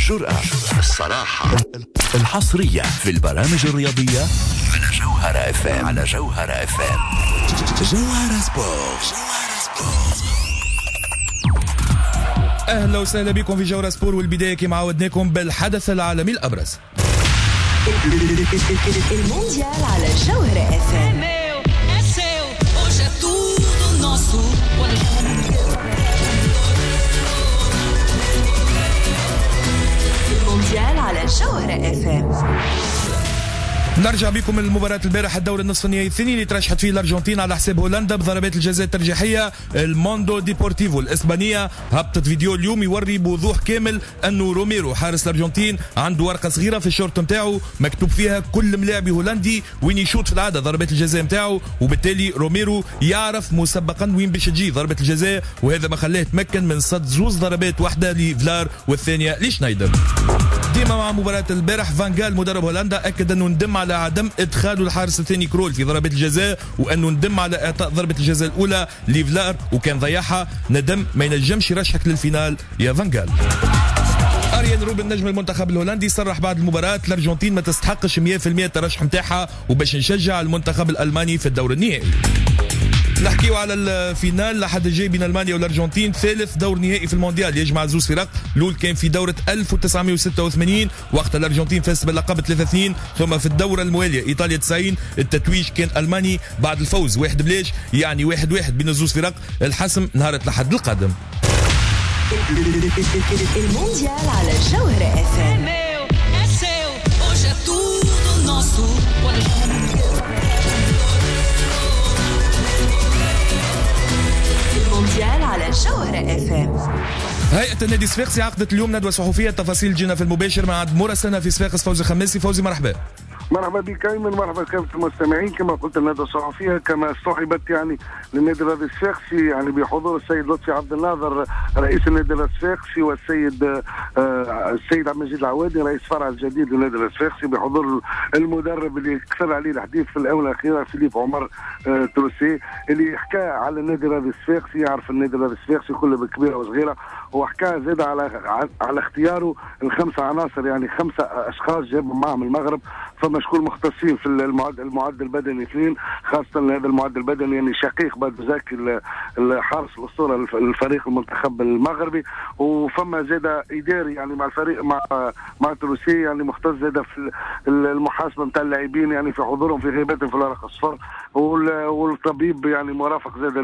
الجرأة، الصراحة، الحصرية في البرامج الرياضية على جوهرة اف ام. على جوهرة اف ام. جوهرة سبور. اهلا وسهلا بكم في جوهرة سبور، والبداية كما عودناكم بالحدث العالمي الابرز. المونديال على جوهرة اف ام. المونديال على جوهرة اف ام. نرجع بكم لمباراة البارح، الدور النصف النهائي الثاني اللي ترشحت فيه الأرجنتين على حساب هولندا بضربات الجزاء الترجيحية. الموندو ديبورتيفو الإسبانية هبطت فيديو اليوم يوري بوضوح كامل أنه روميرو حارس الأرجنتين عنده ورقة صغيرة في الشورت نتاعو مكتوب فيها كل ملاعبي هولندي وين يشوط في العادة ضربات الجزاء نتاعو، وبالتالي روميرو يعرف مسبقا وين باش تجي ضربة الجزاء، وهذا ما خلاه يتمكن من صد زوز ضربات، واحدة لفلار والثانية لشنايدر. ديما مع مباراة البارح، فان جال مدرب هولندا أكد أنه ندم على عدم إدخاله الحارس الثاني كرول في ضربات الجزاء، وأنه ندم على إعطاء ضربة الجزاء الأولى لفلار وكان ضيعها، ندم ما ينجمش يرشحك لل finale يا فان جال. أريان روبن نجم المنتخب الهولندي صرح بعد المباراة الأرجنتين ما تستحقش 100% الترشح نتاعها وباش نشجع المنتخب الألماني في الدور النهائي. نحكيو على ال finale لحد الجاي بين المانيا والارجنتين، ثالث دور نهائي في المونديال يجمع زوز فرق. الاول كان في دوره 1986 وقت الارجنتين فاز باللقب 3-2، ثم في الدورة الموالية ايطاليا 90 التتويج كان الماني بعد الفوز 1-0، يعني 1-1 بين الزوز فرق. الحسم نهار الاحد القادم. المونديال على جوهرة اف ام. المونديال على جوهرة اف ام. هيئة النادي الصفاقسي عقدت اليوم ندوة صحفية، تفاصيل جينا في المباشر مع عند مراسلنا في صفاقس فوزي خماسي. فوزي مرحبا. مرحبا بك ايمن، مرحبا بكافة المستمعين. كما قلت الندوة الصحفية كما صحبت يعني للنادي الرياضي الصفاقسي يعني بحضور السيد لطفي عبد الناظر رئيس النادي الصفاقسي والسيد السيد عبد المجيد العوادي رئيس فرع الجديد للنادي الصفاقسي، بحضور المدرب اللي كثر عليه الحديث في الاونة الاخيرة فيليب عمر تروسي اللي حكى على النادي الرياضي الصفاقسي، يعرف النادي الرياضي الصفاقسي كله بكبيره وصغيره، وحكى زاد على اختياره الخمسة عناصر، يعني خمسة اشخاص جابهم معهم المغرب. فما شكون مختصين في المعد البدني اثنين، خاصة هذا المعد البدني يعني شقيق بدر زكي الحارس الاسطورة الفريق المنتخب المغربي، وفما زاد اداري يعني مع الفريق مع تروسي يعني مختص زاد في المحاسبة نتاع اللاعبين يعني في حضورهم في غيبتهم في الورق الصفر، والطبيب يعني مرافق زاد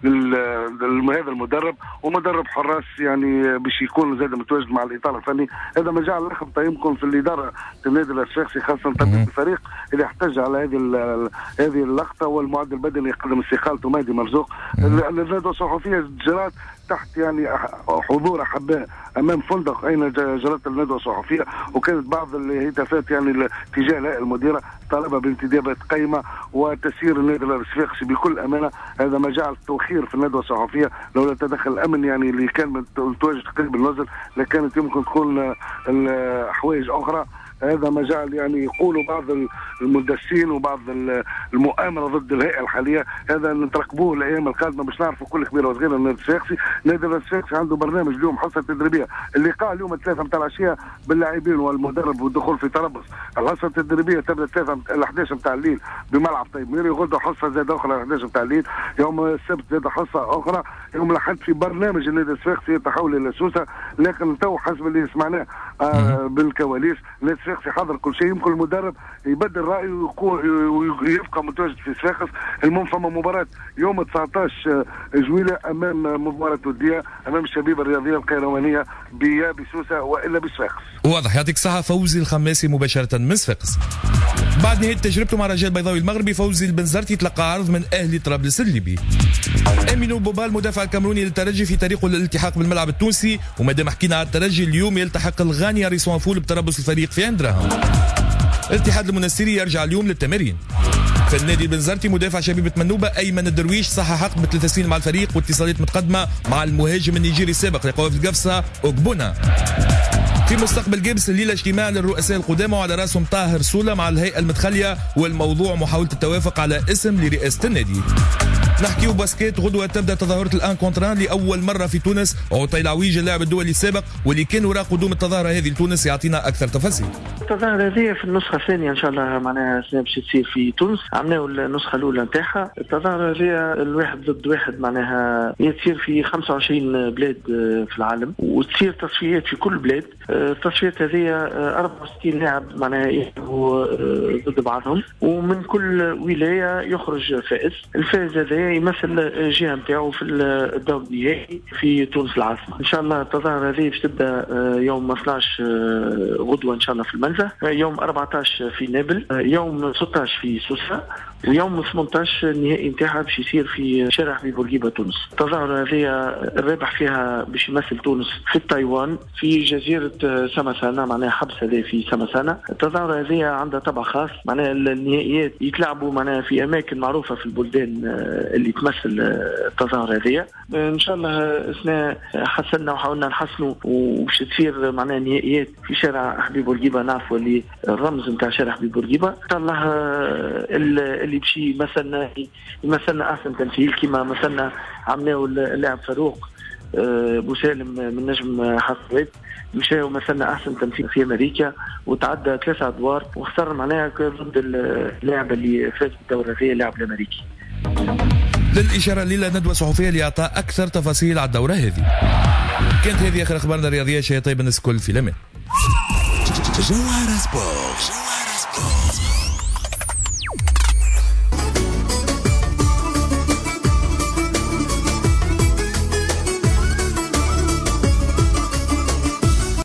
لهذا المدرب، ومدرب حراس يعني باش يكون زاد متواجد مع الاطار الفني. هذا ما جعل لخبطة يمكن في الادارة النادي الصفاقسي، خاصة طبيب الفريق اللي احتج على هذه اللقطة، والمعد البدني يقدم استقالته مهدي مرزوق. الندوة الصحفية جرت تحت يعني حضور احباء امام فندق اين جرت الندوة الصحفية، وكانت بعض الهتافات يعني تجاه الهيئة المديرة طالبه بانتدابات قيمة وتسيير النادي الصفاقسي بكل امانه. هذا ما جعل التوخير في الندوة الصحفية، لولا تدخل الامن يعني اللي كان متواجد قريب النزل لكانت يمكن تكون حوايج اخرى. هذا ما جعل يعني يقولوا بعض المندسين وبعض المؤامرة ضد الهيئة الحالية. هذا نترقبوه الايام القادمة باش نعرفوا كل كبيرة وصغيره. النادي الصفاقسي، النادي الصفاقسي عنده برنامج اليوم، حصة تدريبية، اللقاء اليوم 3 متاع العشية باللاعبين والمدرب والدخول في تربص. الحصة التدريبية تبدا 3 ل 11 متاع الليل بملعب طيب ميري، غدا حصة زاد اخرى 11 متاع الليل، يوم السبت زاد حصة اخرى، يوم الاحد في برنامج النادي الصفاقسي يتحول الى سوسة. لكن تو حسب اللي سمعناه بالكواليس النادي الصفاقسي حضر كل شيء، يمكن المدرب يبدل رايه ويبقى متواجد في صفاقس. المهم فما مباراة يوم 19 جويلة امام مباراة وديه امام الشبيبة الرياضية القيروانيه بسوسه والا بصفاقس. واضح، يعطيك الصحة فوزي الخماسي مباشرة من صفاقس. بعد نهاية تجربته مع رجاء البيضاوي المغربي، فوزي البنزرتي تلقى عرض من اهلي طرابلس الليبي. امينو بوبال مدافع الكاميروني للترجي في طريقه للالتحاق بالملعب التونسي، ومادام حكينا على الترجي اليوم يلتحق الغاني ريسوان فول بتربص الفريق في اندراهم. الاتحاد المنستيري يرجع اليوم للتمارين. في النادي البنزرتي مدافع شبيبة منوبة أيمن الدرويش صحح عقد ب3 سنين مع الفريق، واتصالات متقدمة مع المهاجم النيجيري السابق لقوافل القفصة أوكبونا. في مستقبل جيبس الليلة اجتماع للرؤساء القدامى وعلى راسهم طاهر سولة مع الهيئة المتخلية، والموضوع محاولة التوافق على اسم لرئاسة النادي. نحكيو basket، غدوة تبدا تظاهرة ال un contre un لأول مرة في تونس. عطية العويج اللاعب الدولي السابق واللي كان وراء قدوم التظاهرة هذه لتونس يعطينا أكثر تفاصيل. التظاهرة هذه في النسخة الثانية إن شاء الله، معناها السنة باش تصير في تونس، عملناو النسخة الأولى نتاعها. التظاهرة هذه الواحد ضد واحد، معناها هي تصير في 25 بلاد في العالم، وتصير تصفيات في كل بلاد. التصفيات هذه 64 لاعب معناها يلعبوا ضد بعضهم، ومن كل ولاية يخرج فائز. الفائز هذا يمثل الجهة نتاعو في الدور النهائي في تونس العاصمة. إن شاء الله التظاهرة هذه باش تبدا يوم 12 غدوة إن شاء الله في المنزه، يوم 14 في نابل، يوم 16 في سوسة، ويوم 18 النهائي نتاعها باش يصير في شارع حبيب بورقيبة تونس. التظاهرة هذه الرابح فيها باش يمثل تونس في تايوان في جزيرة سمسانة، معناها حبس هذا في سمسانة. التظاهرة هذه عندها طبع خاص، معناها النهائيات يتلعبوا معناها في أماكن معروفة في البلدان اللي تمثل التظاهرة هذه. إن شاء الله السنة حسنا وحاولنا نحسنوا وباش تصير معناها نهائيات في شارع حبيب بورقيبة، نعرفوا اللي الرمز نتاع شارع حبيب بورقيبة. إن شاء الله اللي باش يمثلنا أحسن تمثيل كما مثلنا عملناه اللاعب فاروق بوسالم من نجم حسوات، مشى ومثلنا احسن تمثيل في امريكا وتعدى 3 ادوار وخسر معناها ضد اللاعب اللي فاز بالدوره هذه، اللاعب الامريكي. للاشارة ليلة ندوه صحفية لاعطاء اكثر تفاصيل على الدورة هذه. كانت هذه اخر اخبارنا الرياضية. شيء طيب الناس الكل في الامان. جوهرة سبور.